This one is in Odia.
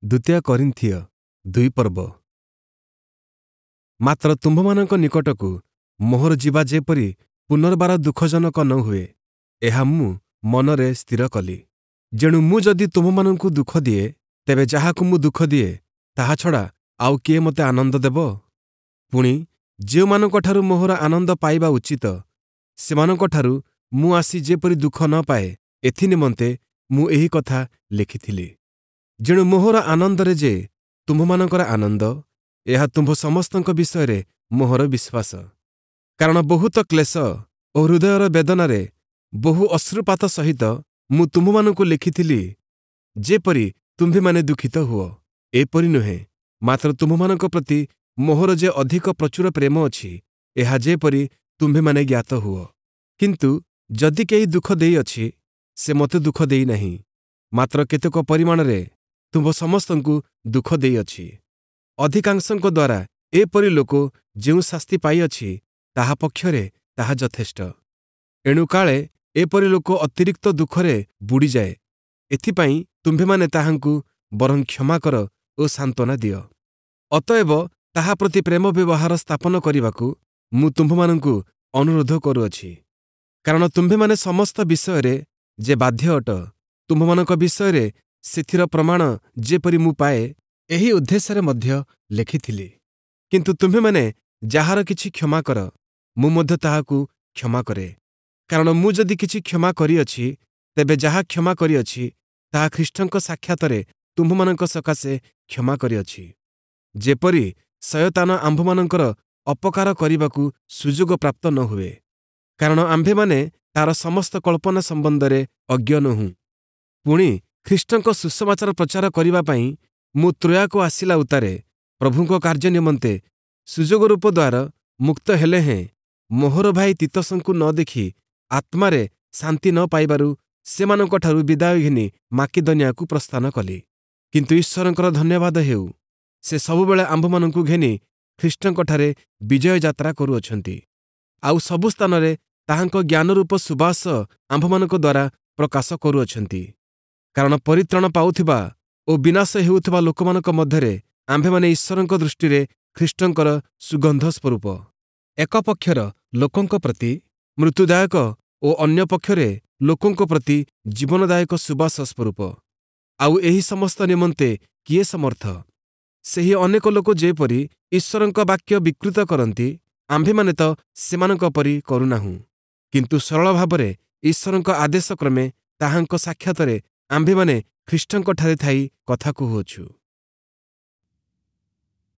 ଦ୍ୱିତୀୟ କରିନ୍ଥୀୟ 2 ପର୍ବ। ମାତ୍ର ତୁମ୍ଭମାନଙ୍କ ନିକଟକୁ ମୋହର ଯିବା ଯେପରି ପୁନର୍ବାର ଦୁଃଖଜନକ ନ ହୁଏ, ଏହା ମୁଁ ମନରେ ସ୍ଥିର କଲି। ଯେଣୁ ମୁଁ ଯଦି ତୁମ୍ଭମାନଙ୍କୁ ଦୁଃଖ ଦିଏ, ତେବେ ଯାହାକୁ ମୁଁ ଦୁଃଖ ଦିଏ, ତାହା ଛଡ଼ା ଆଉ କିଏ ମୋତେ ଆନନ୍ଦ ଦେବ? ପୁଣି ଯେଉଁମାନଙ୍କଠାରୁ ମୋହର ଆନନ୍ଦ ପାଇବା ଉଚିତ, ସେମାନଙ୍କଠାରୁ ମୁଁ ଆସି ଯେପରି ଦୁଃଖ ନ ପାଏ, ଏଥିନିମନ୍ତେ ମୁଁ ଏହି କଥା ଲେଖିଥିଲି। ଯେଣୁ ମୋହର ଆନନ୍ଦରେ ଯେ ତୁମ୍ଭମାନଙ୍କର ଆନନ୍ଦ, ଏହା ତୁମ୍ଭ ସମସ୍ତଙ୍କ ବିଷୟରେ ମୋହର ବିଶ୍ୱାସ। କାରଣ ବହୁତ କ୍ଲେଶ ଓ ହୃଦୟର ବେଦନାରେ ବହୁ ଅଶ୍ରୁପାତ ସହିତ ମୁଁ ତୁମ୍ଭମାନଙ୍କୁ ଲେଖିଥିଲି, ଯେପରି ତୁମ୍ଭେମାନେ ଦୁଃଖିତ ହୁଅ। ଏପରି ନୁହେଁ, ମାତ୍ର ତୁମ୍ଭମାନଙ୍କ ପ୍ରତି ମୋହର ଯେ ଅଧିକ ପ୍ରଚୁର ପ୍ରେମ ଅଛି, ଏହା ଯେପରି ତୁମ୍ଭେମାନେ ଜ୍ଞାତ ହୁଅ। କିନ୍ତୁ ଯଦି କେହି ଦୁଃଖ ଦେଇଅଛି, ସେ ମୋତେ ଦୁଃଖ ଦେଇନାହିଁ, ମାତ୍ର କେତେକ ପରିମାଣରେ ତୁମ୍ଭ ସମସ୍ତଙ୍କୁ ଦୁଃଖ ଦେଇଅଛି। ଅଧିକାଂଶଙ୍କ ଦ୍ୱାରା ଏପରି ଲୋକ ଯେଉଁ ଶାସ୍ତି ପାଇଅଛି, ତାହା ପକ୍ଷରେ ତାହା ଯଥେଷ୍ଟ। ଏଣୁ କାଳେ ଏପରି ଲୋକ ଅତିରିକ୍ତ ଦୁଃଖରେ ବୁଡ଼ିଯାଏ, ଏଥିପାଇଁ ତୁମ୍ଭେମାନେ ତାହାଙ୍କୁ ବରଂ କ୍ଷମା କର ଓ ସାନ୍ତ୍ୱନା ଦିଅ। ଅତଏବ ତାହା ପ୍ରତି ପ୍ରେମ ବ୍ୟବହାର ସ୍ଥାପନ କରିବାକୁ ମୁଁ ତୁମ୍ଭମାନଙ୍କୁ ଅନୁରୋଧ କରୁଅଛି। କାରଣ ତୁମ୍ଭେମାନେ ସମସ୍ତ ବିଷୟରେ ଯେ ବାଧ୍ୟ ଅଟ, ତୁମ୍ଭମାନଙ୍କ ବିଷୟରେ ସେଥିର ପ୍ରମାଣ ଯେପରି ମୁଁ ପାଏ, ଏହି ଉଦ୍ଦେଶ୍ୟରେ ମଧ୍ୟ ଲେଖିଥିଲି। କିନ୍ତୁ ତୁମ୍ଭେମାନେ ଯାହାର କିଛି କ୍ଷମା କର, ମୁଁ ମଧ୍ୟ ତାହାକୁ କ୍ଷମା କରେ। କାରଣ ମୁଁ ଯଦି କିଛି କ୍ଷମା କରିଅଛି, ତେବେ ଯାହା କ୍ଷମା କରିଅଛି, ତାହା ଖ୍ରୀଷ୍ଟଙ୍କ ସାକ୍ଷାତରେ ତୁମ୍ଭମାନଙ୍କ ସକାଶେ କ୍ଷମା କରିଅଛି, ଯେପରି ଶୟତାନ ଆମ୍ଭମାନଙ୍କର ଅପକାର କରିବାକୁ ସୁଯୋଗ ପ୍ରାପ୍ତ ନ ହୁଏ। କାରଣ ଆମ୍ଭେମାନେ ତାର ସମସ୍ତ କଳ୍ପନା ସମ୍ବନ୍ଧରେ ଅଜ୍ଞ ନୋହୁଁ। ପୁଣି ଖ୍ରୀଷ୍ଟଙ୍କ ସୁସମାଚାର ପ୍ରଚାର କରିବା ପାଇଁ ମୁଁ ତ୍ରୋୟାକୁ ଆସିଲା ଉତ୍ତାରେ ପ୍ରଭୁଙ୍କ କାର୍ଯ୍ୟ ନିମନ୍ତେ ସୁଯୋଗ ରୂପ ଦ୍ୱାରା ମୁକ୍ତ ହେଲେ ହେଁ, ମୋହର ଭାଇ ତୀତସଙ୍କୁ ନ ଦେଖି ଆତ୍ମାରେ ଶାନ୍ତି ନ ପାଇବାରୁ ସେମାନଙ୍କଠାରୁ ବିଦାୟ ଘେନି ମାକିଦନିଆକୁ ପ୍ରସ୍ଥାନ କଲି। କିନ୍ତୁ ଈଶ୍ୱରଙ୍କର ଧନ୍ୟବାଦ ହେଉ, ସେ ସବୁବେଳେ ଆମ୍ଭମାନଙ୍କୁ ଘେନି ଖ୍ରୀଷ୍ଟଙ୍କଠାରେ ବିଜୟ ଯାତ୍ରା କରୁଅଛନ୍ତି, ଆଉ ସବୁ ସ୍ଥାନରେ ତାହାଙ୍କ ଜ୍ଞାନରୂପ ସୁବାସ ଆମ୍ଭମାନଙ୍କ ଦ୍ୱାରା ପ୍ରକାଶ କରୁଅଛନ୍ତି। କାରଣ ପରିତ୍ରାଣ ପାଉଥିବା ଓ ବିନାଶ ହେଉଥିବା ଲୋକମାନଙ୍କ ମଧ୍ୟରେ ଆମ୍ଭେମାନେ ଈଶ୍ୱରଙ୍କ ଦୃଷ୍ଟିରେ ଖ୍ରୀଷ୍ଟଙ୍କର ସୁଗନ୍ଧ ସ୍ୱରୂପ। ଏକ ପକ୍ଷର ଲୋକଙ୍କ ପ୍ରତି ମୃତ୍ୟୁଦାୟକ ଓ ଅନ୍ୟ ପକ୍ଷରେ ଲୋକଙ୍କ ପ୍ରତି ଜୀବନଦାୟକ ସୁବାସ ସ୍ୱରୂପ। ଆଉ ଏହି ସମସ୍ତ ନିମନ୍ତେ କିଏ ସମର୍ଥ? ସେହି ଅନେକ ଲୋକ ଯେପରି ଈଶ୍ୱରଙ୍କ ବାକ୍ୟ ବିକୃତ କରନ୍ତି, ଆମ୍ଭେମାନେ ତ ସେମାନଙ୍କ ପରି କରୁନାହୁଁ। କିନ୍ତୁ ସରଳ ଭାବରେ ଈଶ୍ୱରଙ୍କ ଆଦେଶ କ୍ରମେ ତାହାଙ୍କ ସାକ୍ଷାତରେ ଆମ୍ଭେମାନେ ଖ୍ରୀଷ୍ଟଙ୍କଠାରେ ଥାଇ କଥା କହୁଅଛୁ।